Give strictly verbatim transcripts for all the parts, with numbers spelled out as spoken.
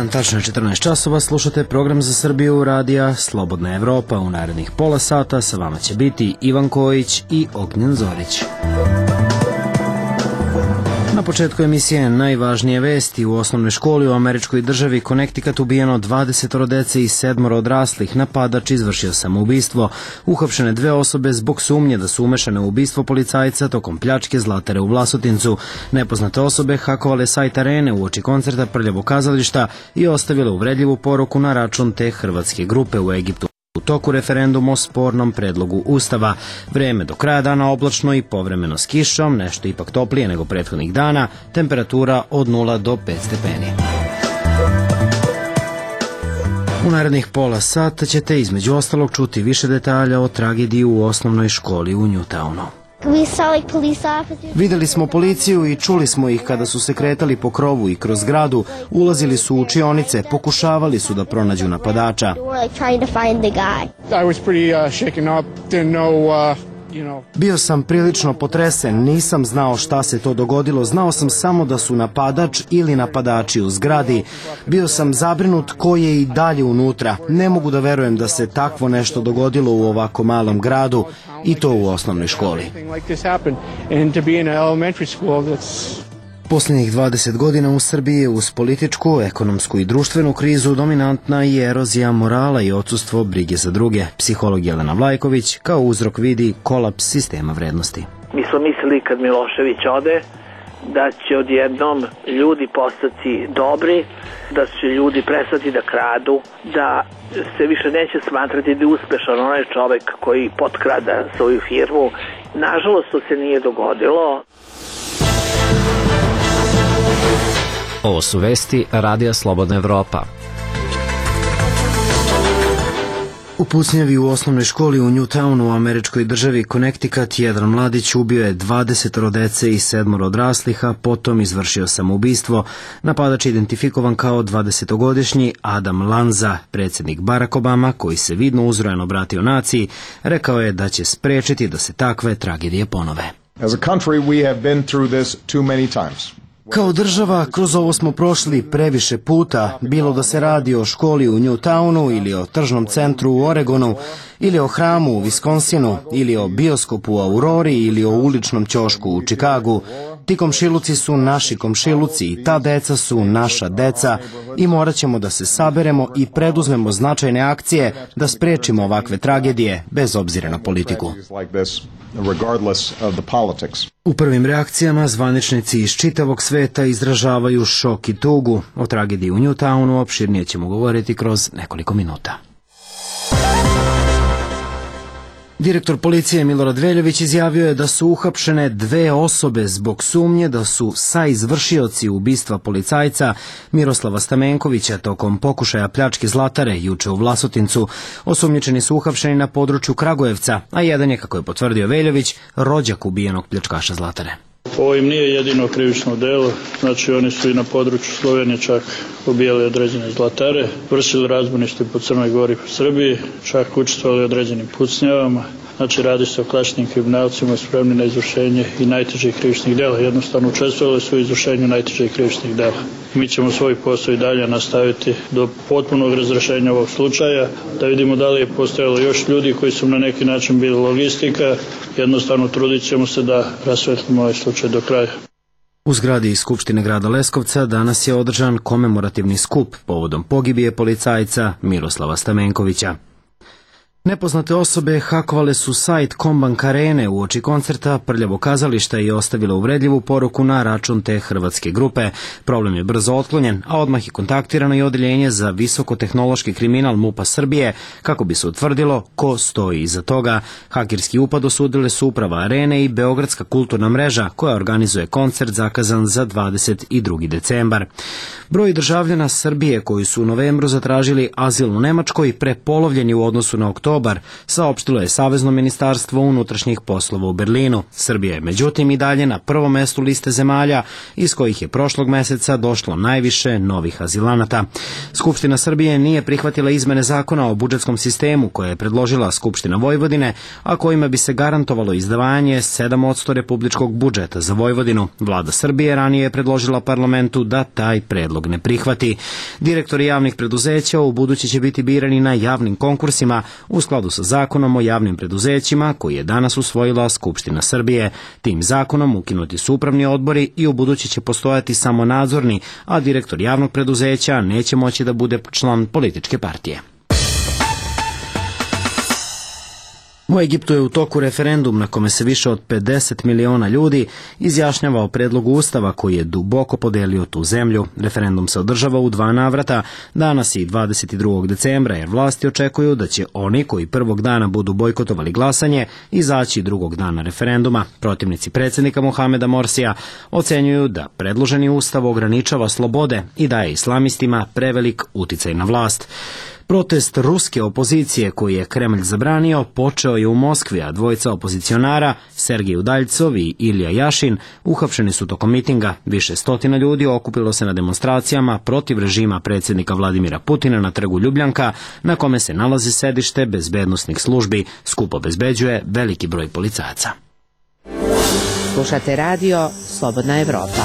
dan, tačno je četrnaest časova, slušate program za Srbiju radija Slobodna Evropa. U narednih pola sata sa vama će biti Ivan Kojić i Ognjen Zorić. Na početku emisije najvažnije vesti. U osnovnoj školi u američkoj državi Connecticut ubijeno dvadeset dece i sedmoro odraslih. Napadač izvršio samoubistvo. Uhapšene dve osobe zbog sumnje da su umešane u ubistvo policajca tokom pljačke Zlatare u Vlasotincu. Nepoznate osobe hakovale sajt Arene uoči koncerta Prljavog kazališta i ostavile uvredljivu poruku na račun te hrvatske grupe u Egiptu. U toku referenduma o spornom predlogu Ustava. Vreme do kraja dana oblačno i povremeno s kišom, nešto ipak toplije nego prethodnih dana, temperatura od nula do pet stepeni. U narednih pola sata ćete između ostalog čuti više detalja o tragediji u osnovnoj školi u Newtownu. Videli smo policiju i čuli smo ih kada su se kretali po krovu i kroz zgradu, ulazili su u učionice, pokušavali su da pronađu napadača. Bio sam prilično potresen, nisam znao šta se to dogodilo, znao sam samo da su napadač ili napadači u zgradi. Bio sam zabrinut ko je i dalje unutra. Ne mogu da verujem da se takvo nešto dogodilo u ovako malom gradu i to u osnovnoj školi. Posljednjih dvadeset godina u Srbiji uz političku, ekonomsku i društvenu krizu dominantna je erozija morala i odsustvo brige za druge. Psiholog Jelena Vlajković kao uzrok vidi kolaps sistema vrednosti. Mi smo mislili kad Milošević ode da će odjednom ljudi postati dobri, da će ljudi prestati da kradu, da se više neće smatrati da je uspešan onaj čovek koji potkrada svoju firmu. Nažalost, to se nije dogodilo. Ovo su vesti Radija Slobodna Evropa. U pucnjavi u osnovnoj školi u Newtownu u američkoj državi Connecticut jedan mladić ubio je dvadeset dece i sedmoro odraslih, a potom izvršio samoubistvo. Napadač je identifikovan kao dvadesetogodišnji Adam Lanza. Predsjednik Barack Obama, koji se vidno uzrojeno obratio naciji, rekao je da će sprečiti da se takve tragedije ponove. As a country, we have been through this too many times. Kao država, kroz ovo smo prošli previše puta, bilo da se radi o školi u Newtownu ili o tržnom centru u Oregonu, ili o hramu u Viskonsinu, ili o bioskopu u Aurori, ili o uličnom ćošku u Čikagu. Ti komšiluci su naši komšiluci i ta deca su naša deca i morat ćemo da se saberemo i preduzmemo značajne akcije da sprečimo ovakve tragedije, bez obzira na politiku. U prvim reakcijama zvaničnici iz čitavog sveta izražavaju šok i tugu. O tragediji u Newtownu opširnije ćemo govoriti kroz nekoliko minuta. Direktor policije Milorad Veljović izjavio je da su uhapšene dve osobe zbog sumnje da su saizvršioci ubistva policajca Miroslava Stamenkovića tokom pokušaja pljačke Zlatare juče u Vlasotincu. Osumnjičeni su uhapšeni na području Kragujevca, a jedan je, kako je potvrdio Veljović, rođak ubijenog pljačkaša Zlatare. Ovo im nije jedino krivično delo, znači oni su i na području Slovenije čak ubijali određene zlatare, vršili razbojništvo po Crnoj Gori i po Srbiji, čak učestvovali određenim pucnjavama. Znači radi se o klasičnim kriminalcima spremni na izvršenje i najtežih krivičnih dela. Jednostavno učestvovali su u izvršenju najtežih krivičnih dela. Mi ćemo svoj posao i dalje nastaviti do potpunog razrešenja ovog slučaja, da vidimo da li je postojalo još ljudi koji su na neki način bili logistika. Jednostavno trudit ćemo se da rasvetlimo ovaj slučaj do kraja. U zgradi iz Skupštine grada Leskovca danas je održan komemorativni skup povodom pogibije policajca Miroslava Stamenkovića. Nepoznate osobe hakovale su sajt Combank Arene uoči koncerta Prljavog kazališta i ostavile uvredljivu poruku na račun te hrvatske grupe. Problem je brzo otklonjen, a odmah je kontaktirano i odeljenje za visokotehnološki kriminal MUP-a Srbije kako bi se utvrdilo ko stoji iza toga. Hakerski upad osudile su uprava Arene i Beogradska kulturna mreža koja organizuje koncert zakazan za dvadeset drugi decembar. Broj državljana Srbije koji su u novembru zatražili azil u Nemačkoj prepolovljen je u odnosu na oktobar dobar, saopštilo je Savezno ministarstvo unutrašnjih poslova u Berlinu. Srbija je međutim i dalje na prvom mestu liste zemalja iz kojih je prošlog meseca došlo najviše novih azilanata. Skupština Srbije nije prihvatila izmene zakona o budžetskom sistemu koje je predložila Skupština Vojvodine, a kojima bi se garantovalo izdvajanje sedam posto republičkog budžeta za Vojvodinu. Vlada Srbije ranije je predložila parlamentu da taj predlog ne prihvati. Direktori javnih preduzeća u budući će biti birani na javnim konkursima u skladu sa zakonom o javnim preduzećima koji je danas usvojila Skupština Srbije. Tim zakonom ukinuti su upravni odbori i u budući će postojati samo nadzorni, a direktor javnog preduzeća neće moći da bude član političke partije. U Egiptu je u toku referendum na kome se više od pedeset miliona ljudi izjašnjava o predlogu ustava koji je duboko podelio tu zemlju. Referendum se održava u dva navrata, danas i dvadeset drugog decembra, jer vlasti očekuju da će oni koji prvog dana budu bojkotovali glasanje izaći drugog dana referenduma. Protivnici predsjednika Mohameda Morsija ocenjuju da predloženi ustav ograničava slobode i daje islamistima prevelik uticaj na vlast. Protest ruske opozicije koji je Kremlj zabranio počeo je u Moskvi, a dvojica opozicionara, Sergij Udaljcov i Ilija Jašin, uhapšeni su tokom mitinga. Više stotina ljudi okupilo se na demonstracijama protiv režima predsjednika Vladimira Putina na trgu Ljubljanka, na kome se nalazi sedište bezbednosnih službi. Skup obezbeđuje veliki broj policajaca. Slušate radio Slobodna Evropa.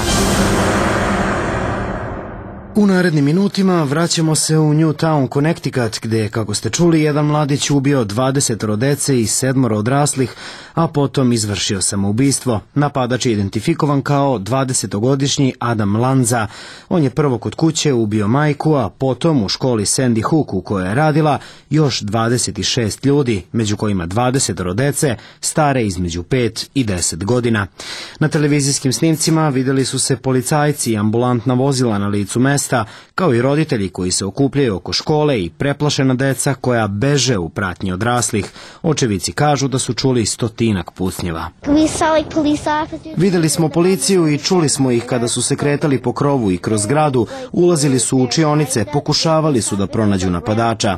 U narednim minutima vraćamo se u Newtown, Connecticut, gde je, kako ste čuli, jedan mladić ubio dvadeset dece i sedmoro odraslih, a potom izvršio samoubistvo. Napadač je identifikovan kao dvadesetogodišnji Adam Lanza. On je prvo kod kuće ubio majku, a potom u školi Sandy Hook u kojoj je radila još dvadeset šest ljudi, među kojima dvadeset dece stare između pet i deset godina. Na televizijskim snimcima vidjeli su se policajci i ambulantna vozila na licu mesta, kao i roditelji koji se okupljaju oko škole i preplašena deca koja beže u pratnji odraslih. Očevici kažu da su čuli stotinak pucnjeva. Videli smo policiju i čuli smo ih kada su se kretali po krovu i kroz zgradu, ulazili su u učionice, pokušavali su da pronađu napadača.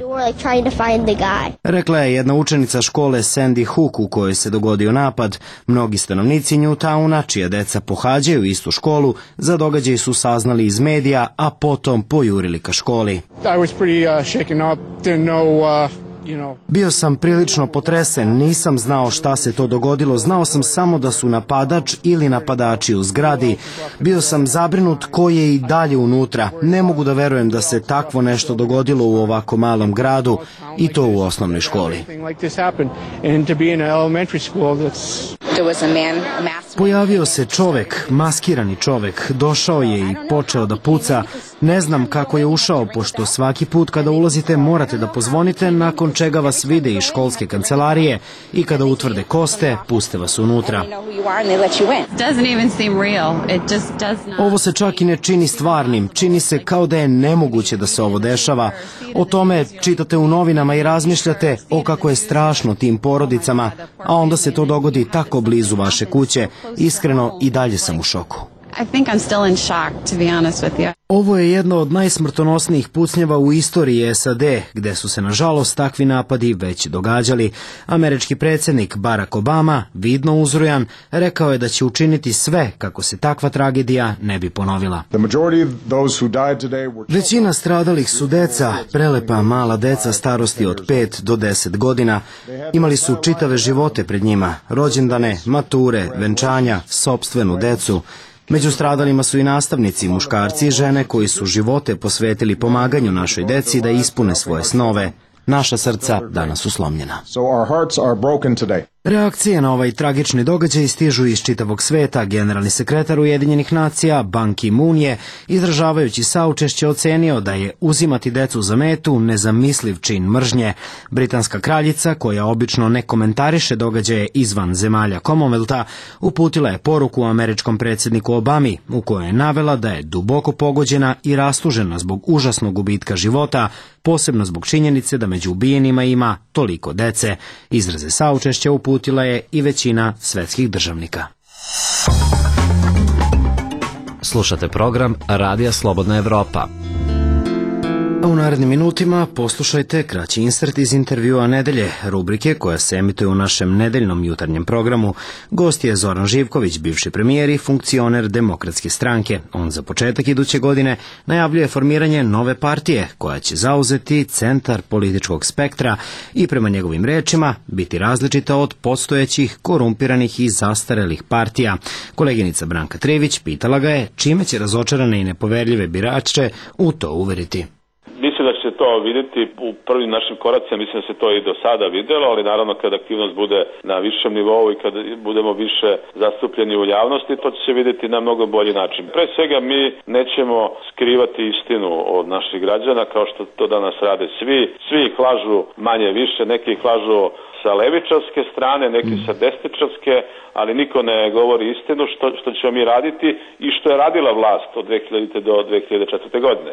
Rekla je jedna učenica škole Sandy Hook u kojoj se dogodio napad. Mnogi stanovnici Newtowna, čija deca pohađaju istu školu, za događaj su saznali iz medija, a potom pojurili ka školi. Bio sam prilično potresen, nisam znao šta se to dogodilo, znao sam samo da su napadač ili napadači u zgradi. Bio sam zabrinut ko je i dalje unutra. Ne mogu da verujem da se takvo nešto dogodilo u ovako malom gradu i to u osnovnoj školi. Pojavio se čovek, maskirani čovek, došao je i počeo da puca. Ne znam kako je ušao, pošto svaki put kada ulazite morate da pozvonite, nakon čega vas vide iz školske kancelarije i kada utvrde ko ste, puste vas unutra. Ovo se čak i ne čini stvarnim, čini se kao da je nemoguće da se ovo dešava. O tome čitate u novinama i razmišljate o kako je strašno tim porodicama, a onda se to dogodi tako blizu vaše kuće. Iskreno, i dalje sam u šoku. I think I'm still in shock, to be honest with you. Ovo je jedno od najsmrtonosnijih pucnjeva u istoriji S A D, gde su se nažalost takvi napadi već događali. Američki predsjednik Barack Obama, vidno uzrujan, rekao je da će učiniti sve kako se takva tragedija ne bi ponovila. Većina stradalih su deca, prelepa mala deca starosti od pet do deset godina. Imali su čitave živote pred njima, rođendane, mature, venčanja, sopstvenu decu. Među stradalima su i nastavnici, muškarci i žene koji su živote posvetili pomaganju našoj deci da ispune svoje snove. Naša srca danas su slomljena. Reakcije na ovaj tragični događaj stižu iz čitavog sveta. Generalni sekretar Ujedinjenih nacija Ban Ki-moon je, izražavajući saučešće, ocenio da je uzimati decu za metu nezamisliv čin mržnje. Britanska kraljica, koja obično ne komentariše događaje izvan zemalja Commonwealtha, uputila je poruku američkom predsjedniku Obami, u kojoj je navela da je duboko pogođena i rastužena zbog užasnog gubitka života, posebno zbog činjenice da među ubijenima ima toliko dece. Izraze saučešća uputila je i većina svetskih državnika. Slušate program Radija Slobodna Evropa. U narednim minutima poslušajte kraći insert iz intervjua nedelje, rubrike koja se emituje u našem nedeljnom jutarnjem programu. Gost je Zoran Živković, bivši premijer i funkcioner Demokratske stranke. On za početak iduće godine najavljuje formiranje nove partije koja će zauzeti centar političkog spektra i prema njegovim rečima biti različita od postojećih, korumpiranih i zastarelih partija. Koleginica Branka Trivić pitala ga je čime će razočarane i nepoverljive birače u to uveriti. Mislim da će se to vidjeti u prvim našim koracima, mislim da se to i do sada videlo, ali naravno kad aktivnost bude na višem nivou i kad budemo više zastupljeni u javnosti, to će se vidjeti na mnogo bolji način. Pre svega mi nećemo skrivati istinu od naših građana kao što to danas rade svi. Svi ih lažu manje više, neki ih lažu sa levičarske strane, neki sa desničarske, ali niko ne govori istinu što, što ćemo mi raditi i što je radila vlast od dve hiljadite do dve hiljade četvrte. godine.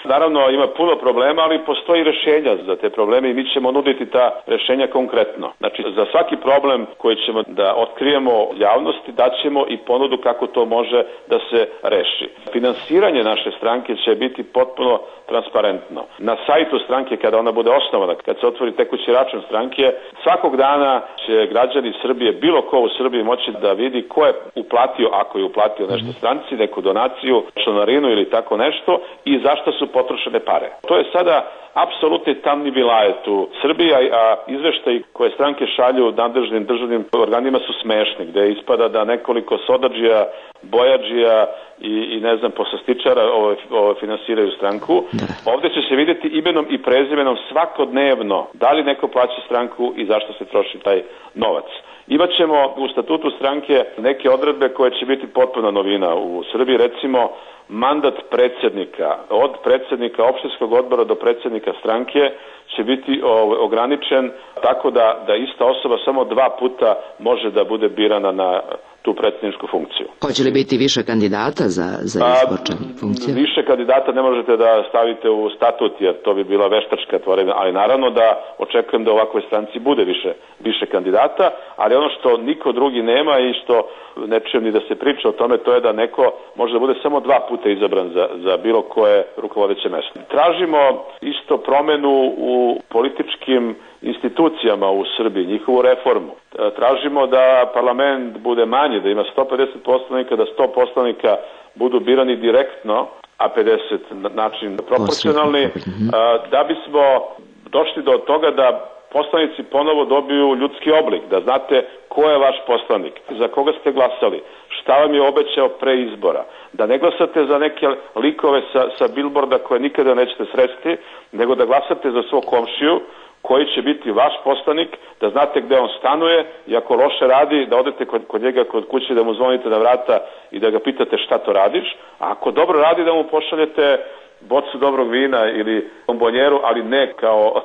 Naravno ima puno problema, ali postoji rešenja za te probleme i mi ćemo nuditi ta rešenja konkretno. Znači za svaki problem koji ćemo da otkrijemo javnosti daćemo i ponudu kako to može da se reši. Finansiranje naše stranke će biti potpuno transparentno. Na sajtu stranke kada ona bude osnovana, kad se otvori tekući račun stranke, svakog dana će građani Srbije, bilo ko u Srbiji moći da vidi ko je uplatio, ako je uplatio nešto stranci, neku donaciju, članarinu ili tako nešto i zašto su potrošene pare. To je sada apsolutni tamni vilajet u Srbiji, a izveštaji koje stranke šalju nadležnim državnim organima su smešni, gde ispada da nekoliko sodadžija, bojadžija i, i ne znam, poslastičara ove, ove finansiraju stranku. Ovde će se vidjeti imenom i prezimenom svakodnevno da li neko plaća stranku i zašto se troši taj novac. Imaćemo u statutu stranke neke odredbe koje će biti potpuna novina u Srbiji, recimo mandat predsjednika, od predsjednika opštinskog odbora do predsjednika stranke će biti ograničen tako da, da ista osoba samo dva puta može da bude birana na tu predsjedničku funkciju. Hoće li biti više kandidata za, za izbor funkcije? Više kandidata ne možete da stavite u statut, jer to bi bila veštačka tvorevina, ali naravno da očekujem da u ovakvoj stranci bude više, više kandidata, ali ono što niko drugi nema i što ne čujem ni da se priča o tome, to je da neko može da bude samo dva puta izabran za, za bilo koje rukovodeće mesto. Tražimo isto promenu u političkim institucijama u Srbiji, njihovu reformu. Tražimo da parlament bude manji, da ima sto pedeset poslanika, da sto poslanika budu birani direktno, a pedeset na način proporcionalni, da bismo došli do toga da poslanici ponovo dobiju ljudski oblik, da znate ko je vaš poslanik, za koga ste glasali, šta vam je obećao pre izbora, da ne glasate za neke likove sa, sa bilborda koje nikada nećete sresti, nego da glasate za svog komšiju koji će biti vaš poslanik, da znate gde on stanuje i ako loše radi, da odete kod, kod njega kod kuće, da mu zvonite na vrata i da ga pitate šta to radiš, a ako dobro radi da mu pošaljete bocu dobrog vina ili bombonjeru, ali ne kao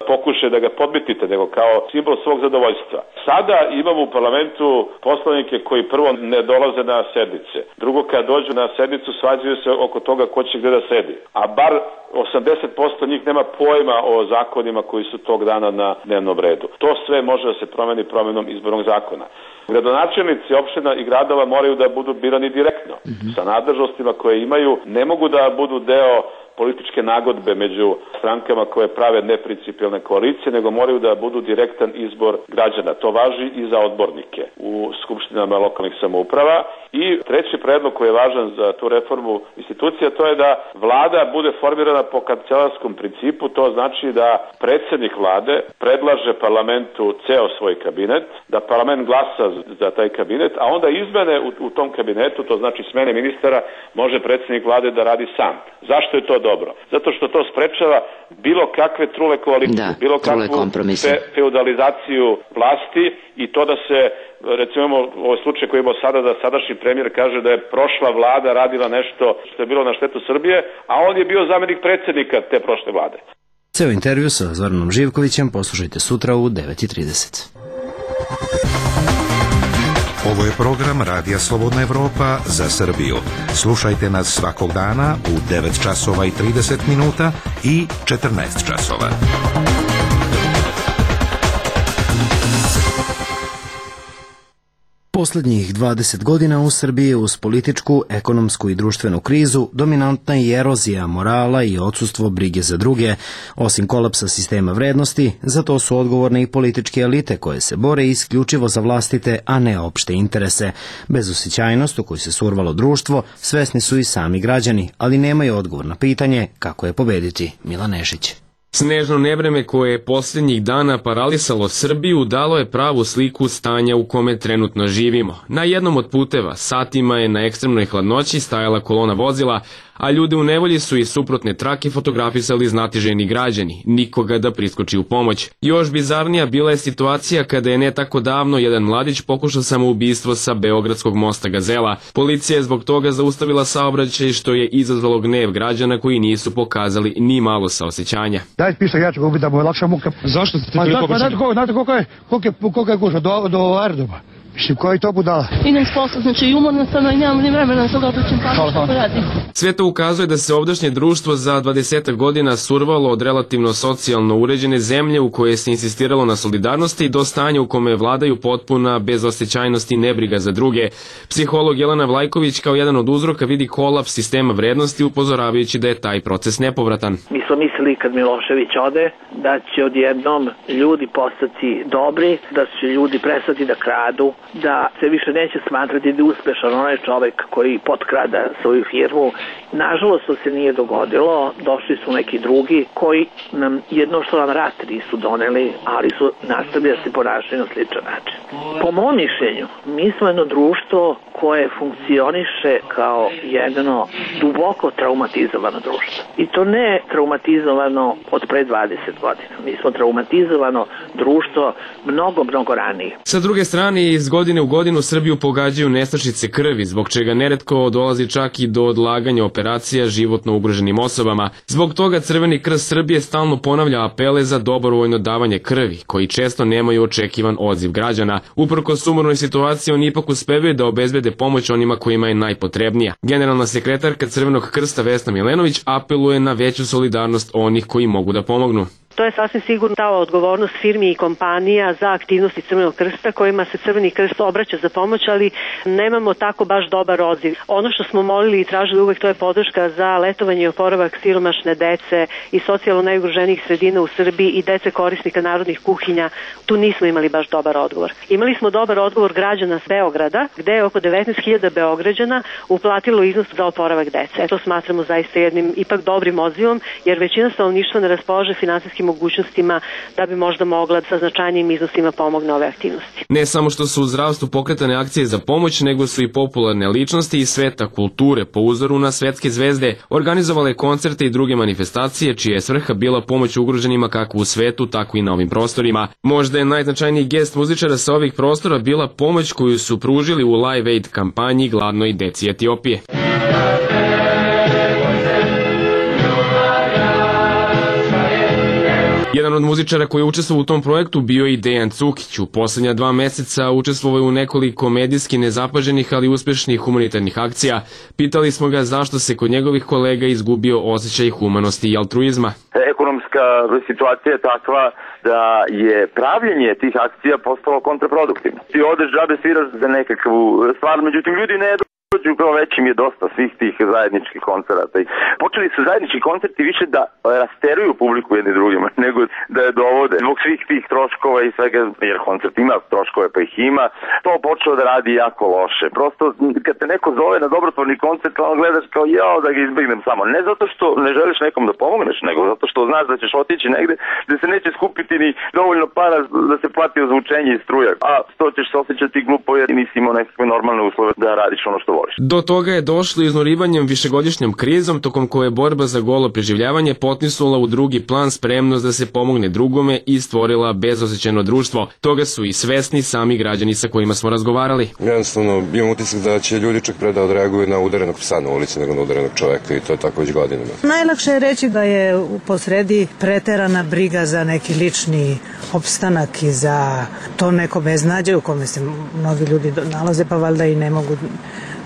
pokušaj da ga podmitite, nego kao simbol svog zadovoljstva. Sada imamo u parlamentu poslanike koji prvo ne dolaze na sednice, drugo kad dođu na sednicu svađaju se oko toga ko će gde da sedi, a bar osamdeset posto njih nema pojma o zakonima koji su tog dana na dnevnom redu. To sve može da se promeni promenom izbornog zakona. Gradonačelnici opština i gradova moraju da budu birani direktno, mm-hmm. sa nadležnostima koje imaju, ne mogu da budu deo političke nagodbe među strankama koje prave neprincipijalne koalicije, nego moraju da budu direktan izbor građana. To važi i za odbornike u skupštinama lokalnih samouprava. I treći predlog koji je važan za tu reformu institucija, to je da vlada bude formirana po kancelarskom principu, to znači da predsjednik vlade predlaže parlamentu ceo svoj kabinet, da parlament glasa za taj kabinet, a onda izmene u, u tom kabinetu, to znači smene ministara, može predsjednik vlade da radi sam. Zašto je to dobro? Zato što to sprečava bilo kakve trule koalicije, da, bilo kakvu fe, feudalizaciju vlasti i to da se, recimo ovaj slučaj koji imamo sada, da sadašnji premijer kaže da je prošla vlada radila nešto što je bilo na štetu Srbije, a on je bio zamenik predsjednika te prošle vlade. Ceo intervju sa Zoranom Živkovićem poslušajte sutra u devet i trideset. Ovo je program Radija Slobodna Evropa za Srbiju. Slušajte nas svakog dana u devet časova i trideset minuta i četrnaest časova. Poslednjih dvadeset godina u Srbiji uz političku, ekonomsku i društvenu krizu dominantna je erozija morala i odsustvo brige za druge. Osim kolapsa sistema vrednosti, za to su odgovorne i političke elite koje se bore isključivo za vlastite, a ne opšte interese. Bezosećajnost u koju se survalo društvo svesni su i sami građani, ali nemaju odgovor na pitanje kako je pobediti. Milan Nešić. Snežno nevreme koje je posljednjih dana paralisalo Srbiju dalo je pravu sliku stanja u kome trenutno živimo. Na jednom od puteva satima je na ekstremnoj hladnoći stajala kolona vozila, a ljude u nevolji su iz suprotne trake fotografisali znatiženi građani, nikoga da priskoči u pomoć. Još bizarnija bila je situacija kada je ne tako davno jedan mladić pokušao samoubistvo sa Beogradskog mosta Gazela. Policija je zbog toga zaustavila saobraćaj, što je izazvalo gnev građana koji nisu pokazali ni malo saosećanja. Daj pišta, ja ću ga ubiti da mu je lakša muka. Zašto ste pa, toliko pa, znate, ko, znate koliko je, koliko je, koliko je gužva, do, do aerodroma. Mislim, koji to budala? Idem s posla, znači i umorna sam i nemam ni vremena, sad obraćam pa što radim. Sve to ukazuje da se ovdašnje društvo za dvadesetak godina survalo od relativno socijalno uređene zemlje u koje se insistiralo na solidarnosti do stanja u kome vladaju potpuna bezosećajnost i nebriga za druge. Psiholog Jelena Vlajković kao jedan od uzroka vidi kolaps sistema vrednosti, upozoravajući da je taj proces nepovratan. Mi smo mislili kad Milošević ode da će odjednom ljudi postati dobri, da će ljudi prestati da kradu, da se više neće smatrati da je uspešan onaj čovek koji potkrada svoju firmu. Nažalost, to se nije dogodilo, došli su neki drugi koji nam jedno što nam rat nisu doneli, ali su nastavili da se ponašaju na sličan način. Po mom mišljenju, mi smo jedno društvo koje funkcioniše kao jedno duboko traumatizovano društvo. I to ne traumatizovano od pre dvadeset godina. Mi smo traumatizovano društvo mnogo, mnogo ranije. Sa druge strane, iz godine u godinu Srbiju pogađaju nestašice krvi, zbog čega neretko dolazi čak i do odlaganja operacija životno ugroženim osobama. Zbog toga Crveni krst Srbije stalno ponavlja apele za dobrovoljno davanje krvi, koji često nemaju očekivan odziv građana. Uprkos sumornoj situaciji, oni ipak uspevaju da obezbede pomoć onima kojima je najpotrebnija. Generalna sekretarka Crvenog krsta Vesna Milenović apeluje na veću solidarnost onih koji mogu da pomognu. To je sasvim sigurno ta odgovornost firmi i kompanija za aktivnosti Crvenog krsta kojima se Crveni krst obraća za pomoć, ali nemamo tako baš dobar odziv. Ono što smo molili i tražili uvek, to je podrška za letovanje i oporavak siromašne dece i socijalno najugroženijih sredina u Srbiji i dece korisnika narodnih kuhinja. Tu nismo imali baš dobar odgovor. Imali smo dobar odgovor građana s Beograda, gde je oko devetnaest hiljada Beograđana uplatilo iznos za oporavak dece. To smatramo zaista jednim ipak dobrim odzivom, jer većina stanovništva ne raspolaže finansijskim mogućnostima da bi možda mogla sa značajnim iznosima pomogne ove aktivnosti. Ne samo što su u zdravstvu pokretane akcije za pomoć, nego su i popularne ličnosti iz sveta kulture po uzoru na svetske zvezde organizovale koncerte i druge manifestacije čija je svrha bila pomoć ugroženima kako u svetu, tako i na ovim prostorima. Možda je najznačajniji gest muzičara sa ovih prostora bila pomoć koju su pružili u Live Aid kampanji gladnoj deci Etiopije. Jedan od muzičara koji je učestvovao u tom projektu bio je i Dejan Cukić. U poslednja dva meseca učestvovao je u nekoliko medijski nezapaženih, ali uspešnih humanitarnih akcija. Pitali smo ga zašto se kod njegovih kolega izgubio osjećaj humanosti i altruizma. Ekonomska situacija je takva da je pravljenje tih akcija postalo kontraproduktivno. Ti odeš džabe sviraš za nekakvu stvar, međutim ljudi ne dođu, kao već im je dosta svih tih zajedničkih koncerata. Počeli su zajednički koncerti više da rasteruju publiku jedni drugima, nego da je dovode. Zbog svih tih troškova i svega, jer koncert ima troškove pa ih ima, to počeo da radi jako loše. Prosto kad te neko zove na dobrotvorni koncert, ono gledaš kao jao da ga izbegnem samo. Ne zato što ne želiš nekom da pomogneš, nego zato što znaš da ćeš otići negde gde se neće skupiti ni dovoljno para da se plati ozvučenje i struja. A to ćeš se osjećati glupo jer nisi imao nekakve normalne uslove da radiš ono što voliš. Do toga je došlo iznurivanjem višegodišnjom krizom, tokom koje borba za golo preživljavanje potisnula u drugi plan spremnost da se pomogne drugome i stvorila bezosećajno društvo. Toga su i svesni sami građani sa kojima smo razgovarali. Jednostavno, imam utisak da će ljudi čak pre da odreaguju na udarenog psa na ulici nego na udarenog čoveka i to je tako već godinama. Najlakše je reći da je u posredi preterana briga za neki lični opstanak i za to neko beznađe u kome se mnogi ljudi nalaze, pa valjda i ne mogu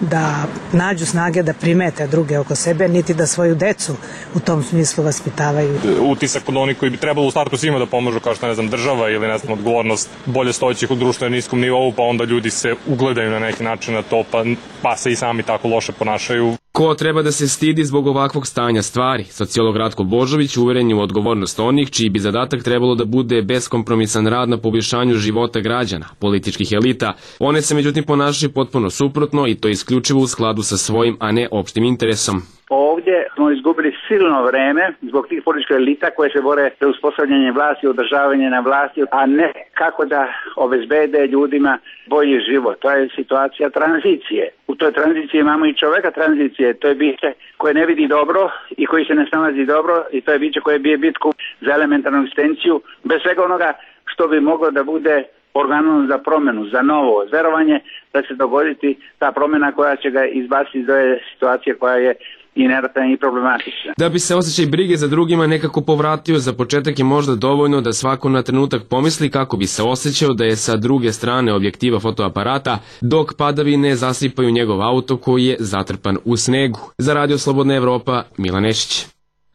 da nađu snage da primete druge oko sebe, niti da svoju decu u tom smislu vaspitavaju. Utisak od onih koji bi trebalo u startu svima da pomožu, kao što ne znam država ili ne znam odgovornost bolje stojećih u društvu na niskom nivou, pa onda ljudi se ugledaju na neki način na to, pa, pa se i sami tako loše ponašaju. Ko treba da se stidi zbog ovakvog stanja stvari? Sociolog Ratko Božović uveren je u odgovornost onih čiji bi zadatak trebalo da bude beskompromisan rad na poboljšanju života građana, političkih elita. One se međutim ponašaju potpuno suprotno i to isključivo u skladu sa svojim, a ne opštim interesom. Ovdje smo izgubili silno vreme zbog tih političkih elita koje se bore za uspostavljanje vlasti, održavanje na vlasti, a ne kako da obezbede ljudima bolji život. To je situacija tranzicije. U toj tranziciji imamo i čoveka tranzicije. To je biće koje ne vidi dobro i koji se ne snalazi dobro i to je biće koje bije bitku za elementarnu egzistenciju bez svega onoga što bi moglo da bude organom za promenu, za novo verovanje da će dogoditi ta promjena koja će ga izbaciti iz ove situacije koja je inertna i problematična. Da bi se osjećaj brige za drugima nekako povratio, za početak je možda dovoljno da svako na trenutak pomisli kako bi se osjećao da je sa druge strane objektiva fotoaparata, dok padavine zasipaju njegov auto koji je zatrpan u snegu. Za Radio Slobodna Evropa, Milan Nešić.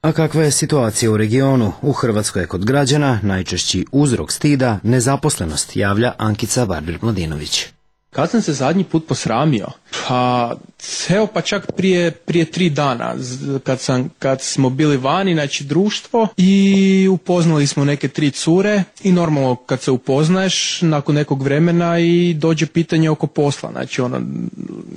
A kakva je situacija u regionu? U Hrvatskoj je kod građana najčešći uzrok stida nezaposlenost, javlja Ankica Barbir-Mladinović. Kad sam se zadnji put posramio? Pa, evo pa čak prije, prije tri dana, kad, sam, kad smo bili vani, znači društvo, i upoznali smo neke tri cure i normalno kad se upoznaješ nakon nekog vremena i dođe pitanje oko posla, znači ono,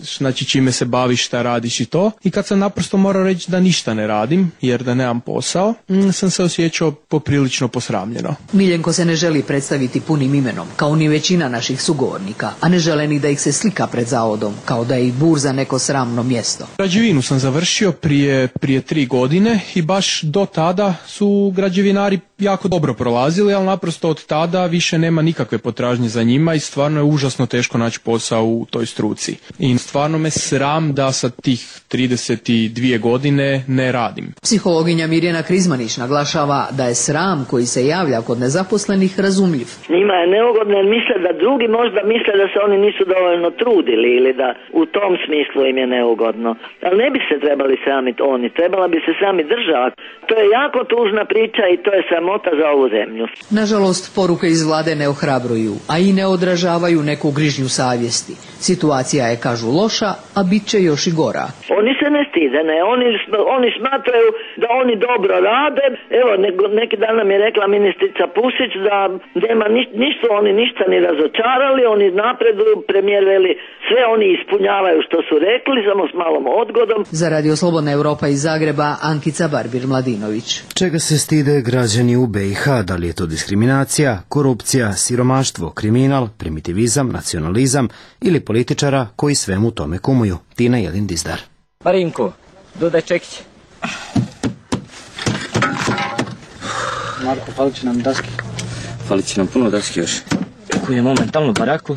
znači čime se baviš, šta radiš i to. I kad sam naprosto morao reći da ništa ne radim, jer da nemam posao, sam se osjećao poprilično posramljeno. Miljenko se ne želi predstaviti punim imenom, kao ni većina naših sugovornika, a ne žele ni da ih se slika pred zavodom, kao da je i burza neko sramno mjesto. Građevinu sam završio prije, prije tri godine i baš do tada su građevinari jako dobro prolazili, ali naprosto od tada više nema nikakve potražnje za njima i stvarno je užasno teško naći posao u toj struci. I stvarno me sram da sa tih trideset dvije godine ne radim. Psihologinja Mirjana Krizmanić naglašava da je sram koji se javlja kod nezaposlenih razumljiv. Njima je neugodno jer misle da drugi možda misle da se oni nisu dovoljno trudili ili da u tom smislu im je neugodno. Ali ne bi se trebali sramiti oni, trebala bi se sami država. To je jako tužna priča i to je sramota za ovu zemlju. Nažalost, poruke iz vlade ne ohrabruju, a i ne odražavaju neku grižnju savjesti. Situacija je, kažu, loša, a bit će još i gora. Oni se ne stide, ne, oni, oni smatraju da oni dobro rade. Evo, ne, neki dan nam je rekla ministrica Pusić da nema ni, nisu oni ništa ni razočarali, oni napreduju, premijer veli, sve oni ispunjavaju što su rekli, samo s malom odgodom. Za Radio Slobodna Evropa iz Zagreba, Ankica Barbir-Mladinović. Čega se stide građani u be i ha? Da li je to diskriminacija, korupcija, siromaštvo, kriminal, primitivizam, nacionalizam ili političara koji svemu tome kumuju? Tina Jelin Dizdar. Marinko, dodaj čekić. Marko, falit će nam daske. Falit će nam puno daske još. Koji je momentalno baraku,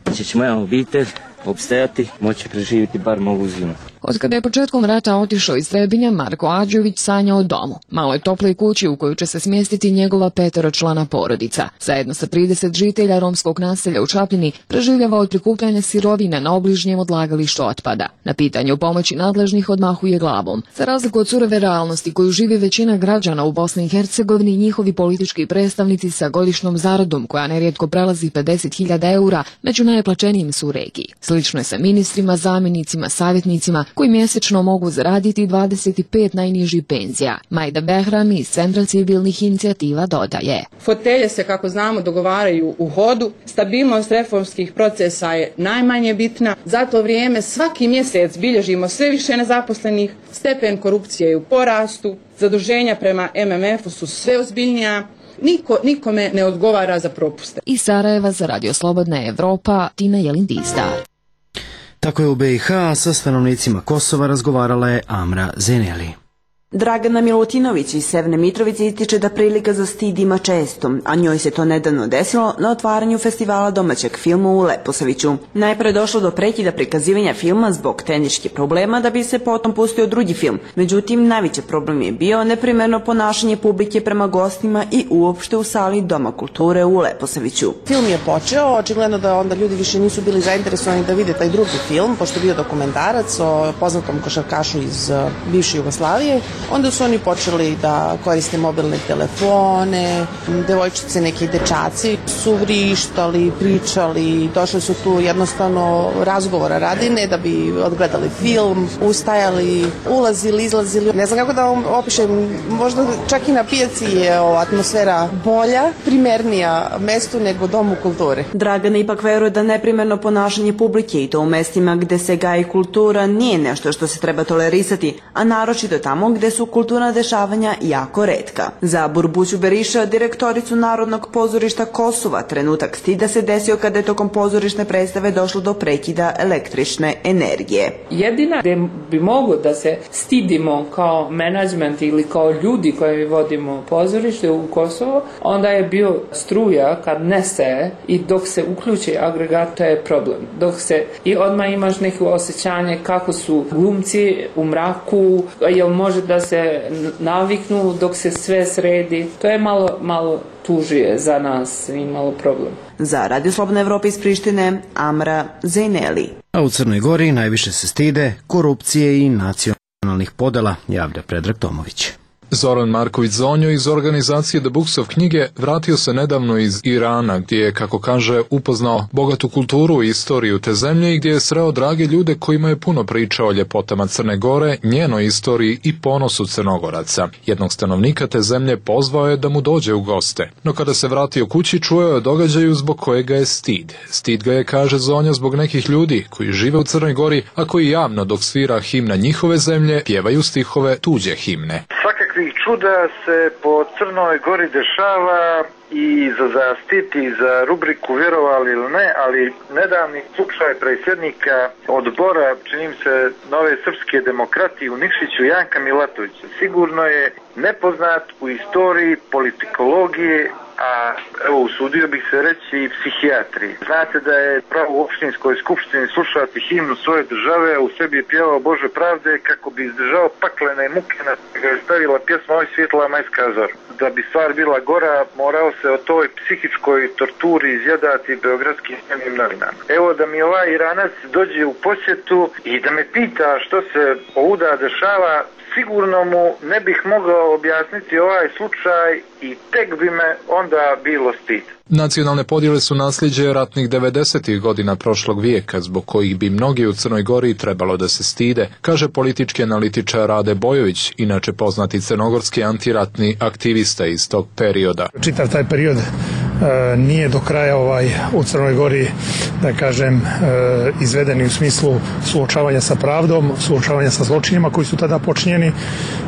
gdje će moja obitelj opstajati, moći preživjeti bar mogu zimu. Od kada je početkom rata otišao iz Trebinja, Marko Ađović sanja o domu, maloj toploj kući u koju će se smjestiti njegova peteročlana porodica. Zajedno sa trideset žitelja romskog naselja u Čapljini preživljava od prikupljanja sirovina na obližnjem odlagalištu otpada. Na pitanje o pomoći nadležnih odmahuje glavom. Za razliku od surove realnosti koju živi većina građana u Bosni i Hercegovini, njihovi politički predstavnici sa godišnjom zaradom koja nerijetko prelazi pedeset hiljada eura među najplaćenijim su u regiji. Slično je sa ministrima, zamjenicima, savjetnicima koji mjesečno mogu zaraditi dvadeset pet najnižih penzija. Majda Behram iz Centra civilnih inicijativa dodaje. Fotelje se, kako znamo, dogovaraju u hodu, stabilnost reformskih procesa je najmanje bitna, za to vrijeme svaki mjesec bilježimo sve više nezaposlenih, stepen korupcije je u porastu, zaduženja prema em em efu su sve ozbiljnija, Niko, nikome ne odgovara za propuste. Iz Sarajeva za Radio Slobodna Evropa, Tina Jelin Dizdar. Tako je u be i ha sa stanovnicima Kosova razgovarala je Amra Zeneli. Dragana Milutinović iz Severne Mitrovice ističe da prilika za stid ima često, a njoj se to nedavno desilo na otvaranju festivala domaćeg filma u Leposaviću. Najpre je došlo do prekida prikazivanja filma zbog tehničkih problema da bi se potom pustio drugi film. Međutim, najveći problem je bio neprimerno ponašanje publike prema gostima i uopšte u sali Doma kulture u Leposaviću. Film je počeo, očigledno da onda ljudi više nisu bili zainteresovani da vide taj drugi film, pošto je bio dokumentarac o poznatom košarkašu iz bivše Jugoslavije. Onda su oni počeli da koriste mobilne telefone, devojčice, neki dečaci su vrištali, pričali, došli su tu jednostavno razgovora radi, ne da bi odgledali film, ustajali, ulazili, izlazili. Ne znam kako da vam opišem, možda čak i na pijaci je atmosfera bolja, primernija mestu nego Domu kulture. Dragana ipak veruje da neprimerno ponašanje publike i to u mestima gde se gaji kultura nije nešto što se treba tolerisati, a naročito tamo gde su kulturna dešavanja jako retka. Za Burbuću Beriša, direktoricu Narodnog pozorišta Kosova, trenutak stida se desio kada je tokom pozorišne predstave došlo do prekida električne energije. Jedina gde bi moglo da se stidimo kao menadžment ili kao ljudi koji vodimo pozorište u Kosovo, onda je bio struja kad nestaje i dok se uključi agregat, to je problem. Dok se i odmah imaš neko osjećanje kako su glumci u mraku, jel može da se naviknu dok se sve sredi. To je malo, malo tužije za nas i malo problem. Za Radio Slobodna Evropa iz Prištine, Amra Zejneli. A u Crnoj Gori najviše se stide korupcije i nacionalnih podela, javlja Predrag Tomović. Zoran Marković Zonjo iz organizacije The Books of knjige vratio se nedavno iz Irana, gdje je, kako kaže, upoznao bogatu kulturu i istoriju te zemlje i gdje je sreo drage ljude kojima je puno pričao o ljepotama Crne Gore, njenoj istoriji i ponosu Crnogoraca. Jednog stanovnika te zemlje pozvao je da mu dođe u goste, no kada se vratio kući čuo je o događaju zbog kojega je stid. Stid ga je, kaže Zonja, zbog nekih ljudi koji žive u Crnoj Gori, a koji javno dok svira himna njihove zemlje pjevaju stihove tuđe himne. Svakakvih čuda se po Crnoj Gori dešava i za zastiti za rubriku vjerovali ili ne, ali nedavni slučaj predsjednika odbora, čini se, Nove srpske demokratije u Nikšiću, Janka Milatovića, sigurno je nepoznat u istoriji politikologije, a evo usudio bih se reći i psihijatriji. Znate da je pravo u opštinskoj skupštini slušati himnu svoje države, a u sebi je pjevao Bože pravde kako bi izdržao paklene muke na ga je stavila pjesma Oj svjetla majska zor. Da bi stvar bila gora, morao se o toj psihičkoj torturi izjadati beogradskim dnevnim novinama. Evo da mi ovaj Iranac dođe u posjetu i da me pita što se ovuda dešava, sigurno mu ne bih mogao objasniti ovaj slučaj i tek bi me onda bilo stid. Nacionalne podjele su nasljeđe ratnih devedesetih godina prošlog vijeka, zbog kojih bi mnogi u Crnoj Gori trebalo da se stide, kaže politički analitičar Rade Bojović, inače poznati crnogorski antiratni aktivista iz tog perioda. Čitav taj period e, nije do kraja ovaj u Crnoj Gori, da kažem, e, izvedeni u smislu suočavanja sa pravdom, suočavanja sa zločinima koji su tada počinjeni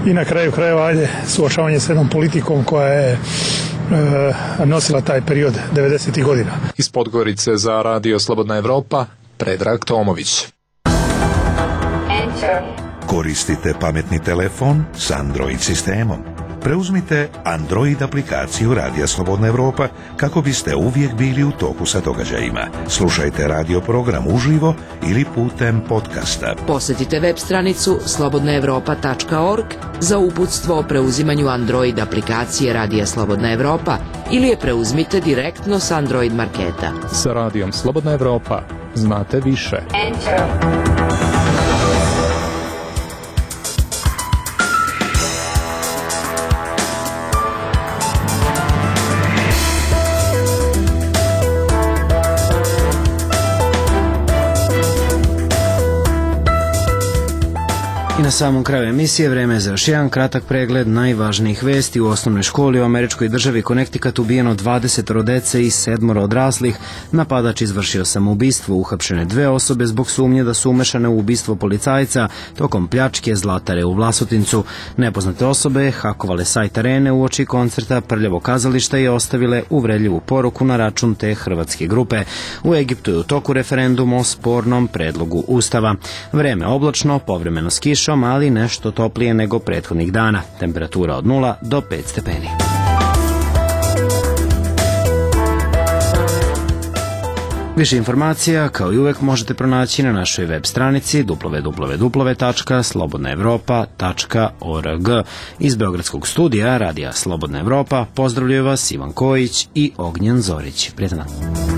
i na kraju krajeva ajde suočavanje sa jednom politikom koja je nosila taj period devedesetih godina. Iz Podgorice za Radio Slobodna Evropa, Predrag Tomović. Koristite pametni telefon s Android sistemom. Preuzmite Android aplikaciju Radija Slobodna Evropa kako biste uvijek bili u toku sa događajima. Slušajte radio program uživo ili putem podcasta. Posjetite web stranicu slobodna evropa tačka org za uputstvo o preuzimanju Android aplikacije Radija Slobodna Evropa ili je preuzmite direktno s Android marketa. Sa Radijom Slobodna Evropa znate više. Enter. I na samom kraju emisije vreme je za još jedan kratak pregled najvažnijih vesti. U osnovnoj školi u američkoj državi Connecticut ubijeno dvadeset dece i sedmoro odraslih. Napadač izvršio samoubistvo, uhapšene dve osobe zbog sumnje da su umešane u ubistvo policajca tokom pljačke Zlatare u Vlasotincu. Nepoznate osobe hakovale sajt Arene uoči koncerta Prljavo kazališta i ostavile uvredljivu poruku na račun te hrvatske grupe. U Egiptu je u toku referendum o spornom predlogu ustava. Vreme oblačno, povremeno s kišom, ali nešto toplije nego prethodnih dana. Temperatura od nula do pet stepeni. Više informacija, kao i uvek, možete pronaći na našoj web stranici w w w tačka slobodna evropa tačka org. Iz Beogradskog studija Radija Slobodna Evropa pozdravljaju vas Ivan Kojić i Ognjen Zorić. Prijetan dan.